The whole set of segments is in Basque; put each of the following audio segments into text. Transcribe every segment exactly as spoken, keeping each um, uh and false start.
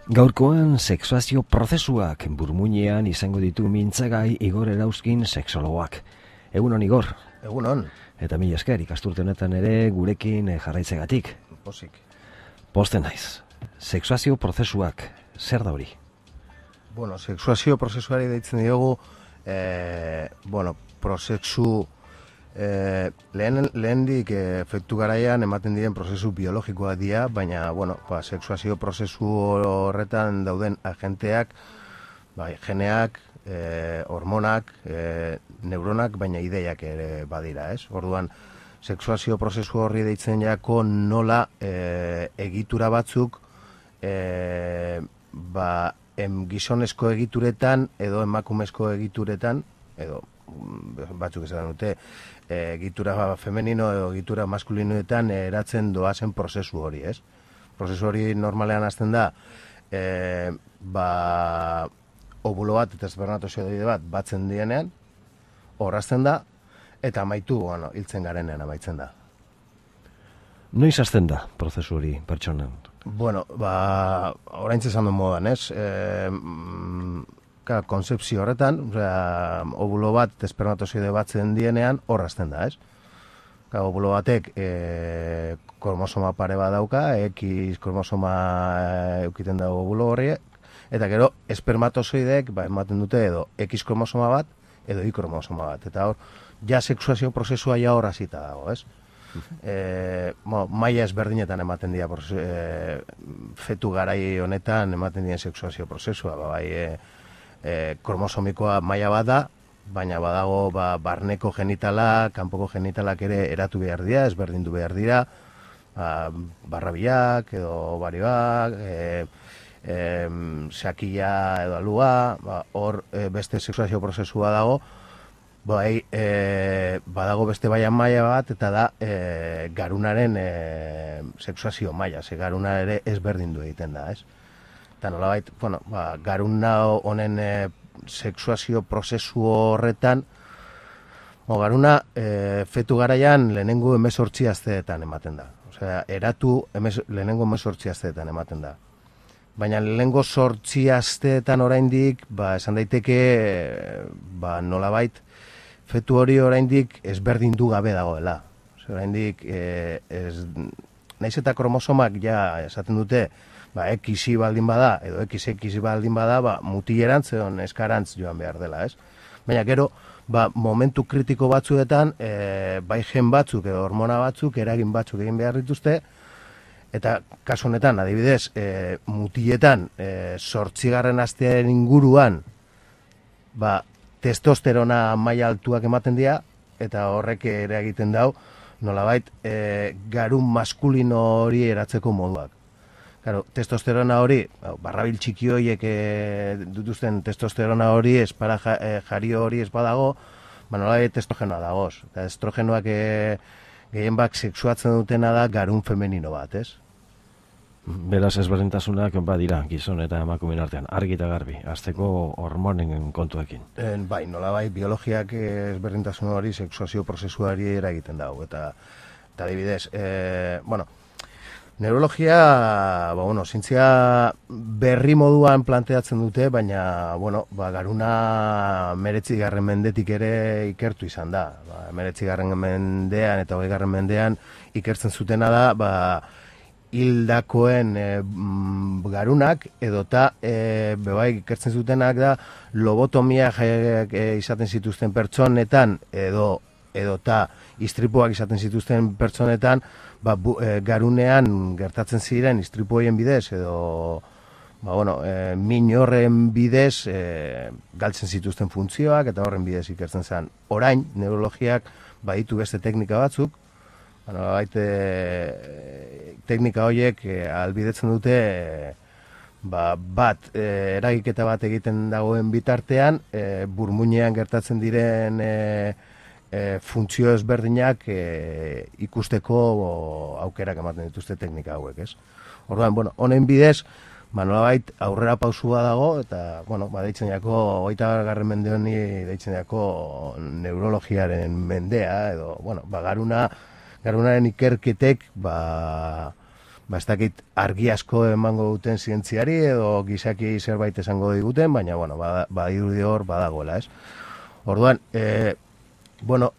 Gaurkoan sexuazio prozesuak burmuinean izango ditu mintzagai Igor Erauzkin sexologoak. Egunon Igor. Egunon. Eta mila esker ikasturte honetan ere gurekin jarraitzegatik. Pozik. Posten naiz. Sexuazio prozesuak, zer da hori? Bueno, sexuazio prozesuari deitzen diogu, eh, bueno, prozesu eh, lehen, lehendik eh, efektu garaian ematen diren prozesu biologikoa dira, baina, bueno, ba, sexuazio prozesu horretan dauden agenteak, bai, geneak, eh, hormonak, eh, neuronak, baina ideiak ere badira, ez? Orduan, sexuazio prozesu horri deitzen jako nola eh, egitura batzuk eh, ba, em, gizonezko egituretan edo emakumezko egituretan, edo batzuk esan dute, e, egitura femenino edo egitura maskulinoetan eratzen doazen prozesu hori, ez? Prozesu hori normalean hasten da, e, ba, ovulo bat eta espermatozoide bat batzen dienean, horrazten da, eta amaitu, bueno, hiltzen garenean amaitzen da. Noiz hasten da prozesu hori pertsonan? Bueno, ba, oraintze esan duen modan, ez? E, ka, konzepzio horretan, osea, ovulo bat, espermatozoide batzen dienean, horrazten da, ez? Ka, ovulo batek e, kromosoma pare bat dauka, X kromosoma eukiten da ovulo horri, eta gero, espermatozoideek, ba, ematen dute edo X kromosoma bat, edo Y kromosoma bat. Eta hor, ja sexuazio prozesua ja hor hasita dago, ez? E, mo, maila ezberdinetan ematen dira e, fetu garai honetan ematen dira sexuazio prozesua, ba, bai e, e, kromosomikoa maila bat da, baina badago ba, barneko genitala, kanpoko genitalak ere eratu behar dira, ezberdindu behar dira, ba, barrabiak edo baribak, e, e, sakila edo alua, ba, hor e, beste sexuazio prozesua dago. Bai, e, badago beste baian maila bat, eta da e, garunaren e, sexuazio maila, ze garuna ere ezberdindu egiten da, ez? Eta nolabait, bueno, ba, garuna honen e, sexuazio prozesu horretan, o, garuna e, fetu garaian lehenengo hemezortzi asteetan ematen da. Osea, eratu emez, lehenengo hemezortzi asteetan ematen da. Baina lehenengo zortzi asteetan oraindik, ba, esan daiteke, ba, nolabait, fetu hori oraindik ezberdindu gabe dagoela. Oraindik e, ez, naiz eta kromosomak ja esaten dute, ba, X baldin bada edo X X baldin bada, ba, mutilerantz edo neskarantz joan behar dela, ez? Baina gero, ba, momentu kritiko batzuetan, e, bai gen batzuk edo hormona batzuk, eragin batzuk egin behar dituzte, eta kasu honetan, adibidez, e, mutiletan, e, zortzigarren astearen inguruan, ba, testosterona maila altuak ematen dira, eta horrek ere egiten dau, nolabait, e, garun maskulino hori eratzeko moduak. Claro, testosterona hori, barrabil txiki horiek e, dutuzten testosterona hori, espara ja, e, jario hori ez badago, ba, nolabait estrogenoa dagoz. Eta estrogenoak e, gehien bak sexuatzen dutena da garun femenino bat, ez? Beraz ezberdintasunak badira gizon eta emakumeen artean, argi eta garbi, azteko hormonen kontuekin. En, bai, nola bai, biologiak ezberdintasun hori sexuazio prozesuari eragiten dago. Eta, eta adibidez, e, bueno, neurologia, ba, bueno, zientzia berri moduan planteatzen dute, baina, bueno, ba, garuna meretzi garren mendetik ere ikertu izan da. Ba, meretzi garren mendean eta hogei garren mendean ikertzen zutena da, ba, hildakoen e, garunak edota e, bebai ikertzen zutenak da lobotomia e, izaten zituzten pertsonetan edo edota istripuak izaten zituzten pertsonetan ba, bu, e, garunean gertatzen ziren istripuoien bidez edo ba, bueno, e, min horren bidez e, galtzen zituzten funtzioak eta horren bidez ikertzen zen. Orain, neurologiak baditu beste teknika batzuk, bueno, baite, teknika horiek e, albidetzen dute e, ba, bat e, eragiketa bat egiten dagoen bitartean e, burmuinean gertatzen diren e, e, funtzio ezberdinak e, ikusteko o, aukerak ematen dituzte teknika hauek, ez? Orduan, bueno, honen bidez, ba, nolabait aurrera pausua dago eta, bueno, ba, deitzen jako, hogeita garren mende honi deitzen jako neurologiaren mendea edo, bueno, ba, garuna garunaren ikerketek ba, ba, ez dakit argi asko emango duten zientziari edo gizaki zerbait esango diguten, baina, bueno, badirudi hor badagoela, ez? Orduan, e, bueno,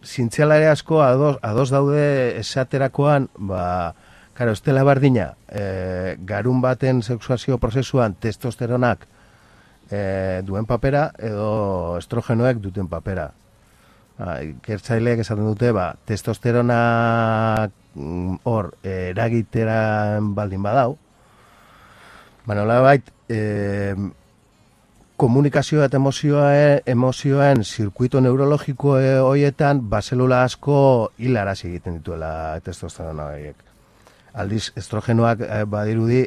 zientzialari asko ados, ados daude esaterakoan, ba, karo, ez dela bardina, e, garun baten sexuazio prozesuan testosteronak e, duen papera edo estrogenoek duten papera. Ba, ikertzaileek esaten dute, ba, testosteronak hor e, eragiteran baldin badau, ba, nolabait, e, komunikazioa eta emozioa, emozioen zirkuito neurologiko horietan, ba, zelula asko hilaraz egiten dituela testosterona horiek. Aldiz, estrogenoak eh, badirudi,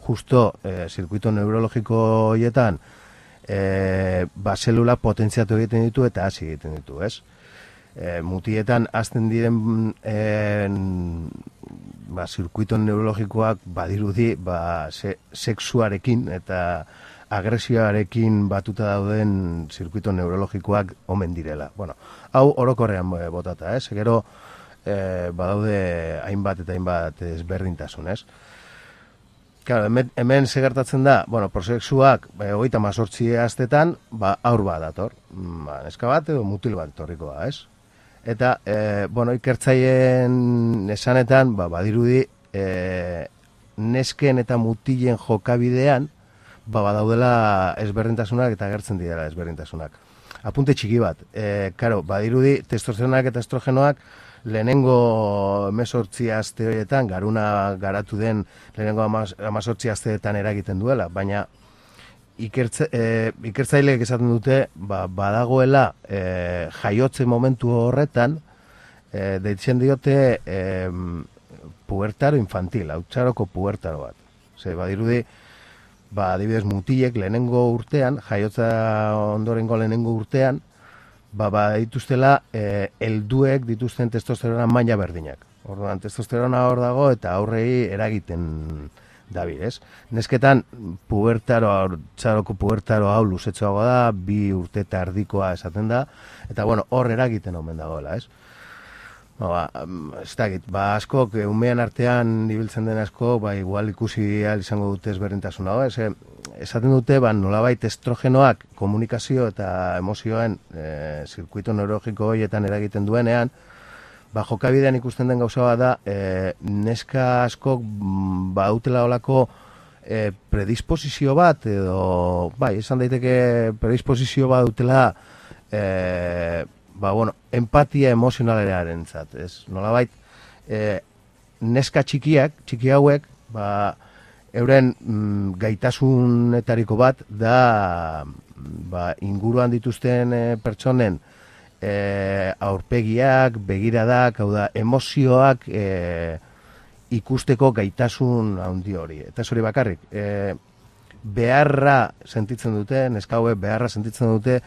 justo eh, zirkuito neurologiko horietan, eh, ba, zelula potentziatu egiten ditu eta hasi egiten ditu, ez? Eh, mutietan azten diren eh, ba, zirkuito neurologikoak badirudi, ba, se, sexuarekin eta agresioarekin batuta dauden zirkuito neurologikoak omen direla. Bueno, hau orokorrean e, botata, ez? Gero, e, badaude hainbat eta hainbat ezberdintasun, ez? Claro, hemen, hemen segertatzen da, bueno, prosexuak, e, hogeita mazortzi astetan, ba, aur bat dator. Ba, neska bat edo mutil bat etorrikoa, ez? Eta, e, bueno, ikertzaien esanetan, ba, badirudi, e, nesken eta mutilen jokabidean, ba, badaudela ezberdintasunak eta agertzen dira ezberdintasunak. Apunte txiki bat, e, karo, badirudi testosteronak eta estrogenoak lehenengo emezortzi aste horietan, garuna garatu den lehenengo amazortzi asteetan eragiten duela, baina ikertze, e, ikertzaileek esaten dute, ba, badagoela e, jaiotze momentu horretan, e, deitzen diote e, pubertaro infantil, hauttsaroko pubertaro bat. Ose, badirudi, ba, adibidez mutilek lehenengo urtean, jaiotza ondorengo lehenengo urtean, ba, ba dituztela e, helduek dituzten testosterona maila berdinak. Orduan, testosterona hor dago eta aurrei eragiten dabil, ez? Nesketan, pubertaro, txaroko pubertaro hau luzetxoago da, bi urte eta erdikoa esaten da, eta bueno, hor eragiten omen dagoela, ez? Ba, ez dakit, ba, askok, umean artean ibiltzen den asko, ba, igual ikusi ahal izango dute ezberdintasuna, ez, esaten dute, ba, nolabait estrogenoak komunikazio eta emozioen e, zirkuito neurologiko horietan eragiten duenean, ba, jokabidean ikusten den gauza bat da, e, neska askok ba, dutela olako e, predisposizio bat, edo, bai, esan daiteke predisposizio bat dutela, e, ba, bueno, empatia emozionalaren zat, ez? Nolabait, e, neska txikiak, txiki hauek, ba, euren mm, gaitasunetariko bat da, ba, inguruan dituzten e, pertsonen e, aurpegiak, begiradak, hau da, emozioak e, ikusteko gaitasun handi hori. Eta ez hori bakarrik, e, beharra sentitzen dute, neska hauek beharra sentitzen dute,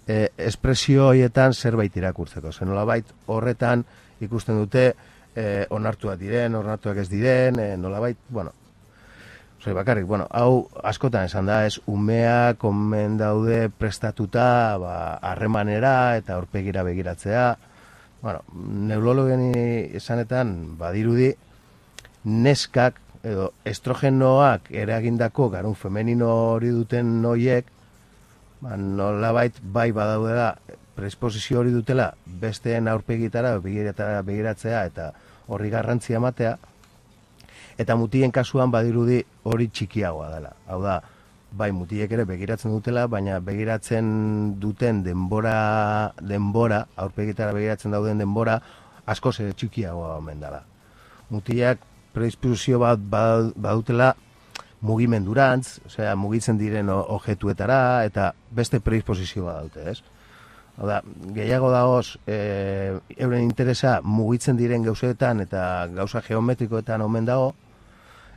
E, espresio horietan zerbait irakurtzeko. Zer nolabait horretan ikusten dute e, onartuak diren, onartuak ez diren, e, nolabait, bueno, zoi bakarrik, bueno, hau askotan esan da, ez umeak omen daude prestatuta ba, harremanera eta aurpegira begiratzea. Bueno, neurologen esanetan badirudi neskak edo estrogenoak eragindako garun femenino hori duten noiek, ba, nolabait bai badaudela predisposizio hori dutela besteen aurpegitara begiratzea eta horri garrantzia ematea, eta mutien kasuan badirudi hori txikiagoa dela. Hau da, bai mutilek ere begiratzen dutela, baina begiratzen duten denbora, denbora aurpegitara begiratzen dauden denbora askoz ere txikiagoa omen dela. Mutilak predisposizio bat badutela mugimendurantz, osea, mugitzen diren objetuetara, eta beste predisposizioa daute, ez? Oda, gehiago dagoz, e, euren interesa mugitzen diren gauzeetan eta gauza geometrikoetan omen dago,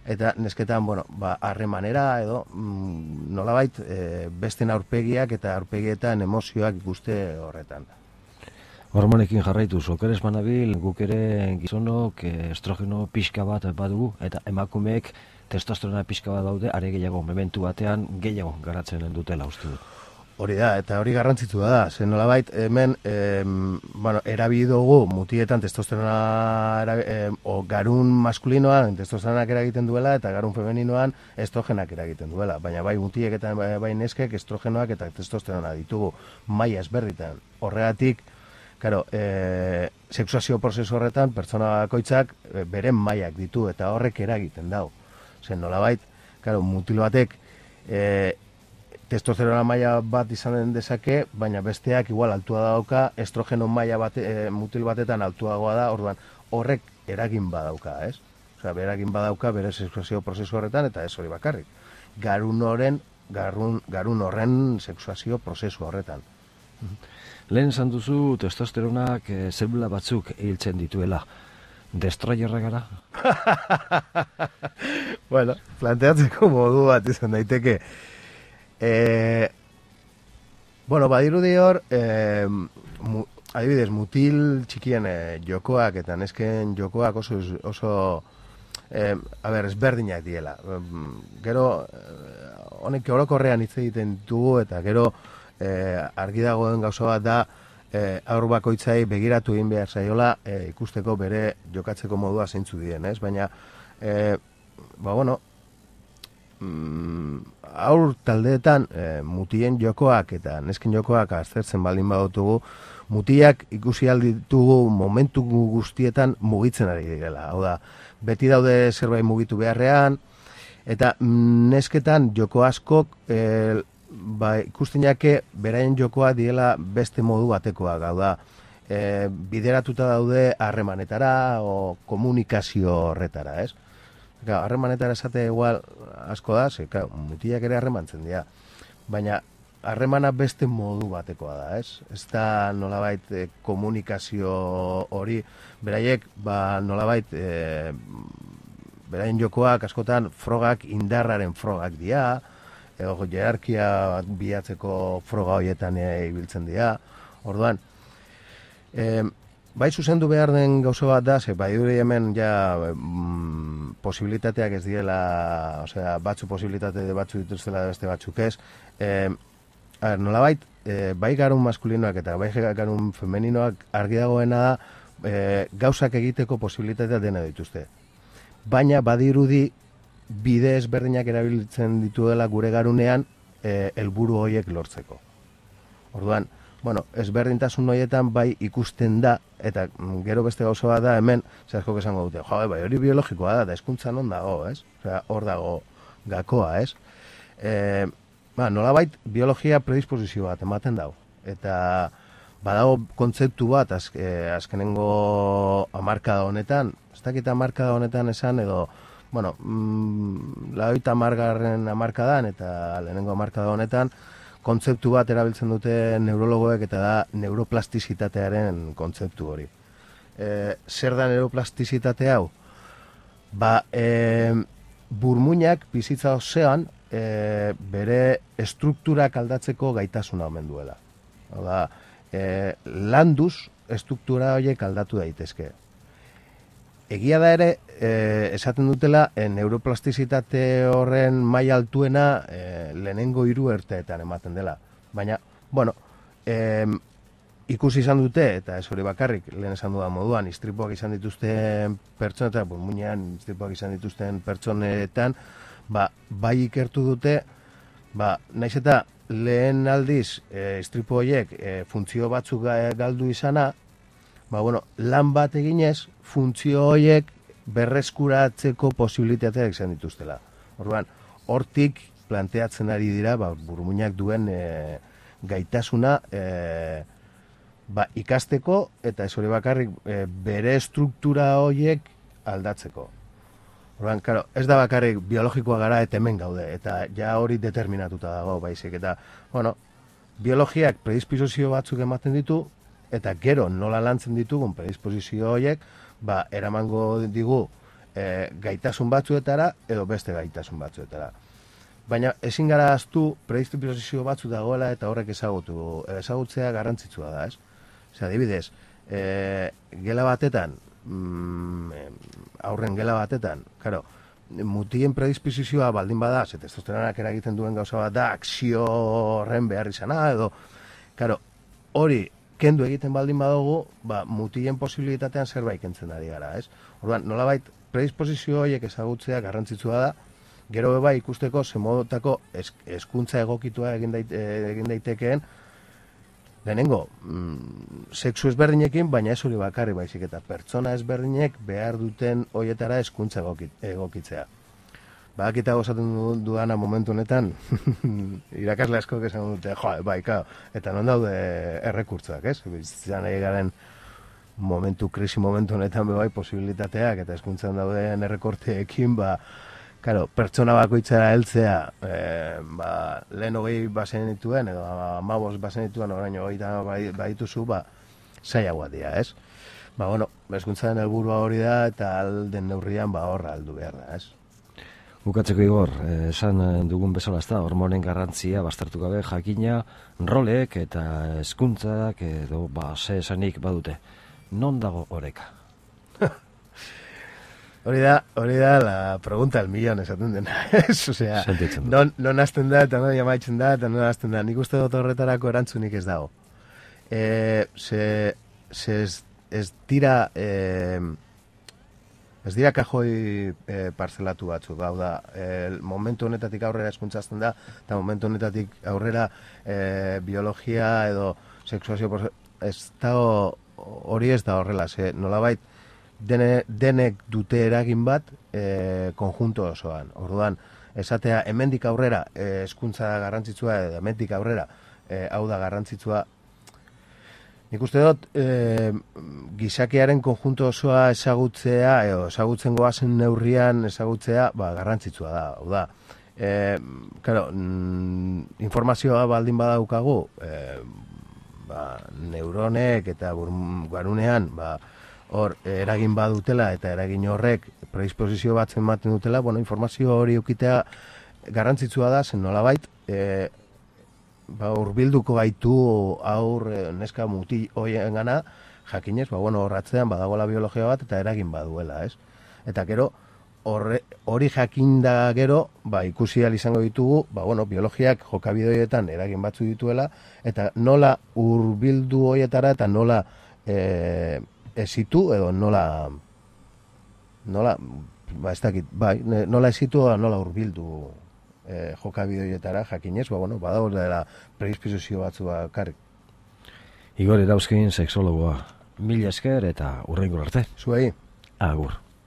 eta nesketan, bueno, ba, harremanera edo, mm, nolabait, e, besten aurpegiak eta aurpegietan emozioak ikuste horretan. Hormonekin jarraitu, zokeres banabil, guk ere gizonok estrogeno pixka bat badugu, eta emakumeek testosterona pixka bat daude, are gehiago, mementu batean gehiago garatzen dutela uste dut. Hori da, eta hori garrantzitsua da, zen nolabait hemen, em, bueno, erabili dugu mutietan testosterona, erabi, em, o garun maskulinoan testosteronak eragiten duela, eta garun femeninoan estrogenak eragiten duela, baina bai mutiek eta bai, bai neskek estrogenoak eta testosterona ditugu maila ezberditan. Horregatik, claro, e, sexuazio prozesu horretan pertsona bakoitzak e, beren mailak ditu eta horrek eragiten dau. Zen nolabait, claro, mutil batek e, testosterona maila bat izan dezake, baina besteak igual altua dauka, estrogeno maila bate, e, mutil batetan altuagoa da, orduan horrek eragin badauka, ez? Osea, eragin badauka bere sexuazio prozesu horretan eta ez hori bakarrik. Garun horren, garun, garun horren sexuazio prozesu horretan. Lehen esan duzu testosteronak e, zelula batzuk hiltzen dituela. Destroyerra gara? Bueno, planteatzeko modu bat izan daiteke. E, bueno, badirudi hor, e, mu, adibidez, mutil txikien e, jokoak eta nesken jokoak oso, oso e, a ber, ezberdinak diela. Gero, honek orokorrean hitz egiten dugu eta gero e, argi dagoen gauza bat da, e, aur bakoitzai begiratu egin behar zaiola e, ikusteko bere jokatzeko modua zeintzu dien, ez? Baina, e, ba, bueno, aur taldeetan e, mutien jokoak eta nesken jokoak aztertzen baldin badutugu, mutiak ikusi alditugu momentu guztietan mugitzen ari direla. Hau da, beti daude zerbait mugitu beharrean, eta nesketan joko askok e, ba, ikusten jake beraien jokoa diela beste modu batekoak. Hau da, e, bideratuta daude harremanetara o komunikazio horretara, ez? Harremanetara esate igual asko da, ze, mutiak ere harremantzen dira. Baina harremana beste modu batekoa da, ez? Ez da nolabait e, komunikazio hori, beraiek, ba, nolabait, e, beraien jokoak askotan frogak indarraren frogak dira, edo jerarkia bilatzeko froga horietan e, ibiltzen dira. Orduan, e, bai zuzendu behar den gauza bat da, ze bai dure hemen ja mm, posibilitateak ez diela, osea, batzu posibilitate batzu dituztela beste batzuk ez. E, a ber, nolabait, e, bai garun maskulinoak eta bai garun femeninoak argi dagoena da e, gauzak egiteko posibilitatea dena dituzte. Baina badirudi bide ezberdinak erabiltzen dituela gure garunean e, helburu horiek lortzeko. Orduan, bueno, ezberdintasun horietan bai ikusten da, eta gero beste gauza bat da hemen, zehazko esango dute, jo, bai, hori biologikoa da, eta hezkuntzan on dago, ez? Osea, hor dago gakoa, ez? E, ba, nolabait biologia predisposizio bat ematen dago, eta badago kontzeptu bat az, e, azkenengo hamarkada honetan, ez dakit hamarkada honetan esan, edo, bueno, mm, laurogeita hamargarren hamarkadan eta lehenengo hamarkada honetan, kontzeptu bat erabiltzen dute neurologoek eta da neuroplastizitatearen kontzeptu hori. E, zer da neuroplastizitate hau? Ba, e, burmuinak bizitza osoan e, bere estrukturak aldatzeko gaitasuna omen duela. Hau da, e, landuz estruktura horiek aldatu daitezke. Egia da ere, e, esaten dutela, e, neuroplastizitate horren maila altuena e, lehenengo hiru urteetan ematen dela. Baina, bueno, e, ikusi izan dute, eta ez hori bakarrik, lehen esan dudan moduan, istripuak izan dituzten pertsonetan, burmuinean istripuak izan dituzten pertsonetan, ba, bai ikertu dute, ba, naiz eta lehen aldiz e, istripu horiek e, funtzio batzuk galdu izana, ba, bueno, lan bat eginez, funtzio horiek berreskuratzeko posibilitateak izan dituztela. Orduan, hortik planteatzen ari dira, ba, burmuinak duen e, gaitasuna e, ba, ikasteko, eta ez hori bakarrik e, bere struktura horiek aldatzeko. Orduan, claro, ez da bakarrik biologikoa gara eta hemen gaude, eta ja hori determinatuta dago, baizik, eta, bueno, biologiak predisposizio batzuk ematen ditu, eta gero nola lantzen ditugun predisposizio horiek, ba, eramango digu e, gaitasun batzuetara edo beste gaitasun batzuetara. Baina ezin gara ahaztu predisposizio batzu dagoela eta horrek ezagutu, ezagutzea garrantzitsua da, ez? Osea, adibidez, e, gela batetan, mm, aurren gela batetan, claro, mutien predisposizioa baldin bada, ze testosteronak eragiten duen gauza bat da, akzio horren behar izana, edo, karo, hori, kendu egiten baldin badugu, ba, mutien posibilitatean zerbait kentzen ari gara, ez? Orduan, nolabait, predisposizio horiek ezagutzea garrantzitsua da, gero beba ikusteko zemodotako hezkuntza egokitua egin, dait, egin daitekeen, lehenengo, mm, sexu ezberdinekin, baina ez hori bakarri baizik, eta pertsona ezberdinek behar duten horietara hezkuntza egokitzea. Badakita gozaten dudana momentu honetan, irakasle asko esan dute, jo, bai, kao, eta non daude errekurtzoak, ez? Bizan nahi garen momentu, krisi momentu honetan bai posibilitateak, eta hezkuntzan dauden errekorteekin, ba, claro, pertsona bakoitzara heltzea, eh, ba, lehen hogei bazen dituen, edo amabos bazen dituen, orain hogeita badituzu, ba, zailagoa dira, ez? Ba, bueno, hezkuntzaren helburua hori da, eta alden neurrian, ba, horra aldu behar da, ez? Bukatzeko Igor, esan dugun bezala ez da, hormonen garrantzia baztertu gabe jakina, rolek eta hezkuntzak edo ba, ze esanik badute. Non dago oreka? Hori da, hori da la pregunta del millón esaten dena. Osea, non, non hasten da, eta non jamaitzen da, eta non hasten da. Nik uste dut horretarako erantzunik ez dago. E, ze, ze ez, ez dira... E, Ez dira kajoi e, parzelatu batzuk, hau da, e, momentu honetatik aurrera hezkuntzazten da, eta momentu honetatik aurrera e, biologia edo sexuazio, ez da hori ez da horrela, ze nolabait dene, denek dute eragin bat e, konjunto osoan. Orduan, esatea hemendik aurrera hezkuntza e, garrantzitsua edo hemendik aurrera e, hau da garrantzitsua. Nik uste dut, e, gizakiaren konjunto osoa ezagutzea, edo ezagutzen goazen neurrian ezagutzea, ba, garrantzitsua da. Hau da, e, claro, mm, informazioa baldin badaukagu, e, ba, neuronek eta garunean, ba, hor, eragin badutela eta eragin horrek predisposizio batzen ematen dutela, bueno, informazio hori ukitea garrantzitsua da, zen nolabait, e, ba, urbilduko gaitu aur neska muti hoien gana, jakinez, ba, bueno, horratzean badagoela biologia bat eta eragin baduela, ez? Eta gero, horre, hori jakinda gero, ba, ikusi ahal izango ditugu, ba, bueno, biologiak jokabideoietan eragin batzu dituela, eta nola urbildu hoietara eta nola e, esitu, edo nola, nola, ba, ez dakit, bai, nola esitu, nola urbildu E, jokabideoietara jakinez, ba, bueno, badago dela predisposizio batzu bakarrik. Igor Erauzkin, sexologoa. Mila esker eta hurrengo arte. Zuei. Agur.